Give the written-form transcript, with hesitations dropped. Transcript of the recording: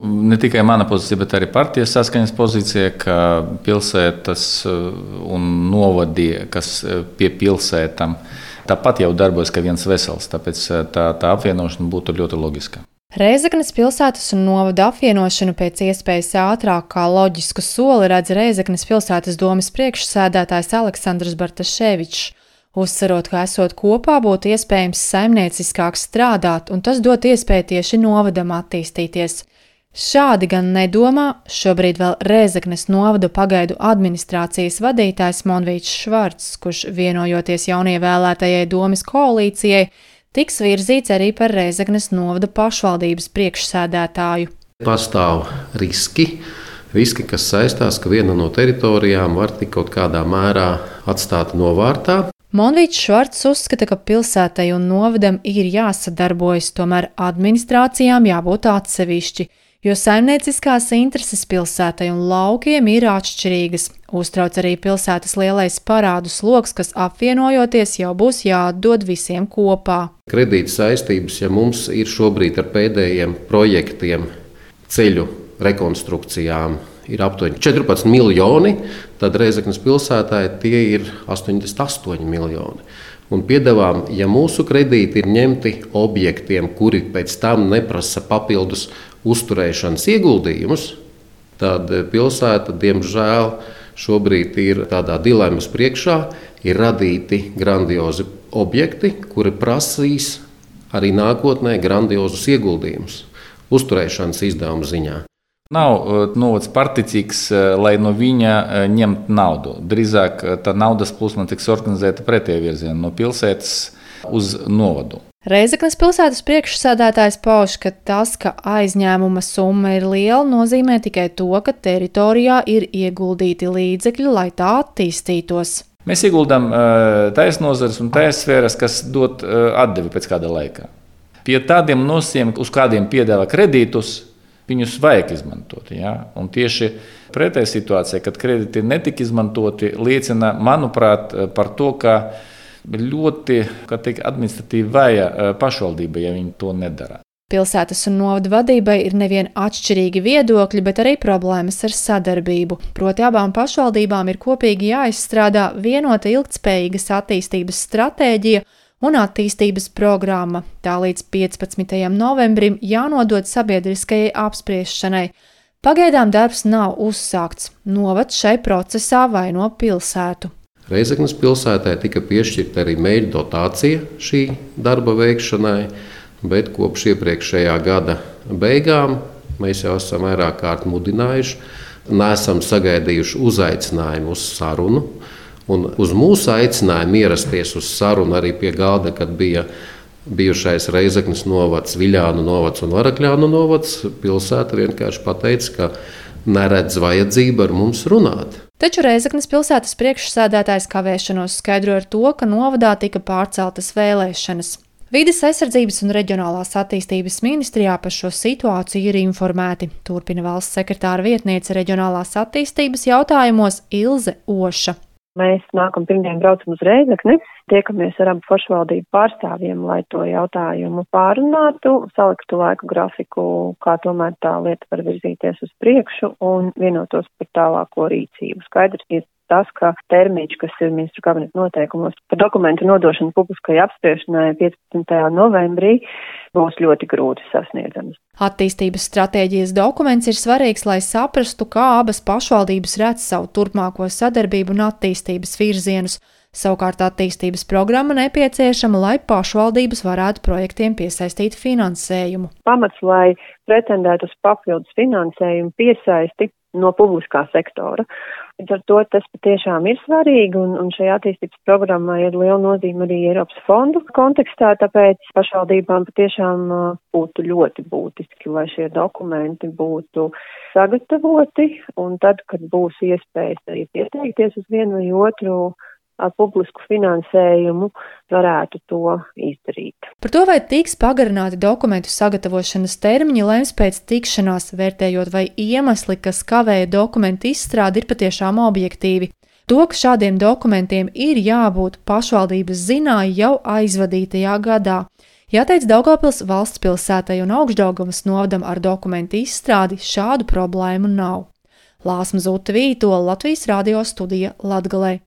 Ne tikai mana pozīcija, bet arī partijas saskaņas pozīcija, ka pilsētas un novadi, kas pie pilsētām, tāpat jau darbojas kā viens vesels, tāpēc tā apvienošana būtu ļoti loģiska. Rēzeknes pilsētas un novada apvienošanu pēc iespējas ātrāk kā loģisku soli redz Rēzeknes pilsētas domes priekšsēdētājs Aleksandrs Bartaševičs, uzsverot, ka esot kopā būtu iespējams saimnieciskāk strādāt, un tas dot iespēju tieši novadam attīstīties. Šādi gan nedomā šobrīd vēl Rēzeknes novada pagaidu administrācijas vadītājs Monvīts Švarcs, kurš vienojoties jaunievēlētajai domes koalīcijai, tiks virzīts arī par Rēzeknes novada pašvaldības priekšsēdētāju. Pastāv riski, kas saistās, ka viena no teritorijām var tik kaut kādā mērā atstāt novārtā. Monvīts Švarcs uzskata, ka pilsētai un novadam ir jāsadarbojas, tomēr administrācijām jābūt atsevišķi, jo saimnieciskās intereses pilsētai un laukiem ir atšķirīgas. Uztrauc arī pilsētas lielais parādu sloks, kas apvienojoties jau būs jāatdod visiem kopā. Kredīta saistības, ja mums ir šobrīd ar pēdējiem projektiem ceļu rekonstrukcijām, ir aptuveni 14 miljoni, tad Rēzeknes pilsētai tie ir 88 miljoni. Un piedāvām, ja mūsu kredīti ir ņemti objektiem, kuri pēc tam neprasa papildus uzturēšanas ieguldījumus, tad pilsēta, diemžēl, šobrīd ir tādā dilemmas priekšā, ir radīti grandiozi objekti, kuri prasīs arī nākotnē grandiozus ieguldījumus uzturēšanas izdevumu ziņā. Nav novads particīgs, lai no viņa ņemt naudu. Drīzāk tā naudas plūsma tiks organizēta pretējā virzienā no pilsētas uz novadu. Rēzeknes pilsētas priekšsēdētājs pauž, ka tas, ka aizņēmuma summa ir liela, nozīmē tikai to, ka teritorijā ir ieguldīti līdzekļi, lai tā attīstītos. Mēs ieguldām tais nozares un tais sfēras, kas dod atdevi pēc kāda laika. Pie tādiem nosacījumiem, uz kādiem piedāvā kredītus, viņus vajag izmantot. Ja? Un tieši pretēji situācija, kad kredīti netika izmantoti, liecina, manuprāt, par to, ka ļoti administratīvi vāja pašvaldība, ja viņi to nedara. Pilsētas un novada vadībai ir nevien atšķirīgi viedokļi, bet arī problēmas ar sadarbību. Proti abām pašvaldībām ir kopīgi jāizstrādā vienota ilgtspējīgas attīstības stratēģija un attīstības programma. Tā līdz 15. novembrim jānodod sabiedriskajai apspriešanai. Pagaidām darbs nav uzsākts. Novads šai procesā vaino pilsētu. Rēzeknes pilsētai tika piešķirta arī mēģi dotācija šī darba veikšanai, bet kopš iepriekšējā gada beigām mēs jau esam vairāk kārt mudinājuši, neesam sagaidījuši uzaicinājumu uz sarunu. Un uz mūsu aicinājumu ierasties uz sarunu arī pie galda, kad bija bijušais Rēzeknes novads, Viļānu novads un Varakļānu novads, pilsēta vienkārši pateica, ka neredz vajadzību ar mums runāt. Taču Rēzeknes pilsētas priekšsēdētājs kavēšanos skaidro ar to, ka novadā tika pārceltas vēlēšanas. Vides aizsardzības un reģionālās attīstības ministrijā par šo situāciju ir informēti. Turpina valsts sekretāra vietniece reģionālās attīstības jautājumos Ilze Oša. Mēs nākam pirmdien braucam uz Rēzekni, tiekamies ar abu pašvaldību pārstāvjiem, lai to jautājumu pārunātu, saliktu laiku grafiku, kā tomēr tā lieta var virzīties uz priekšu un vienotos par tālāko rīcību. Skaidrs ir tas, ka termiņš, kas ir ministru kabineta noteikumos par dokumentu nodošanu publiskai apspriešanai 15. novembrī, būs ļoti grūti sasniedzams. Attīstības stratēģijas dokuments ir svarīgs, lai saprastu, kā abas pašvaldības redz savu turpmāko sadarbību un attīstības virzienus. Savukārt attīstības programma nepieciešama, lai pašvaldības varētu projektiem piesaistīt finansējumu. Pamats, lai pretendētu uz papildus finansējumu piesaisti no publiskā sektora. Līdz ar to tas patiešām ir svarīgi, un šajā attīstības programmā ir liela nozīme arī Eiropas fondu kontekstā, tāpēc pašvaldībām patiešām būtu ļoti būtiski, lai šie dokumenti būtu sagatavoti, un tad, kad būs iespējas arī pieteikties uz vienu vai otru ar publisku finansējumu, varētu to izdarīt. Par to, vai tiks pagarināti dokumentu sagatavošanas termiņi, lems pēc tikšanās, vērtējot, vai iemesli, kas kavēja dokumentu izstrādi, ir patiešām objektīvi. To, ka šādiem dokumentiem ir jābūt pašvaldības zināja jau aizvadītajā gadā. Jāteic, Daugavpils valsts pilsētai un Augšdaugavas novadam ar dokumentu izstrādi šādu problēmu nav. Lāsma Zute Vītola, Latvijas radio studija Latgalē.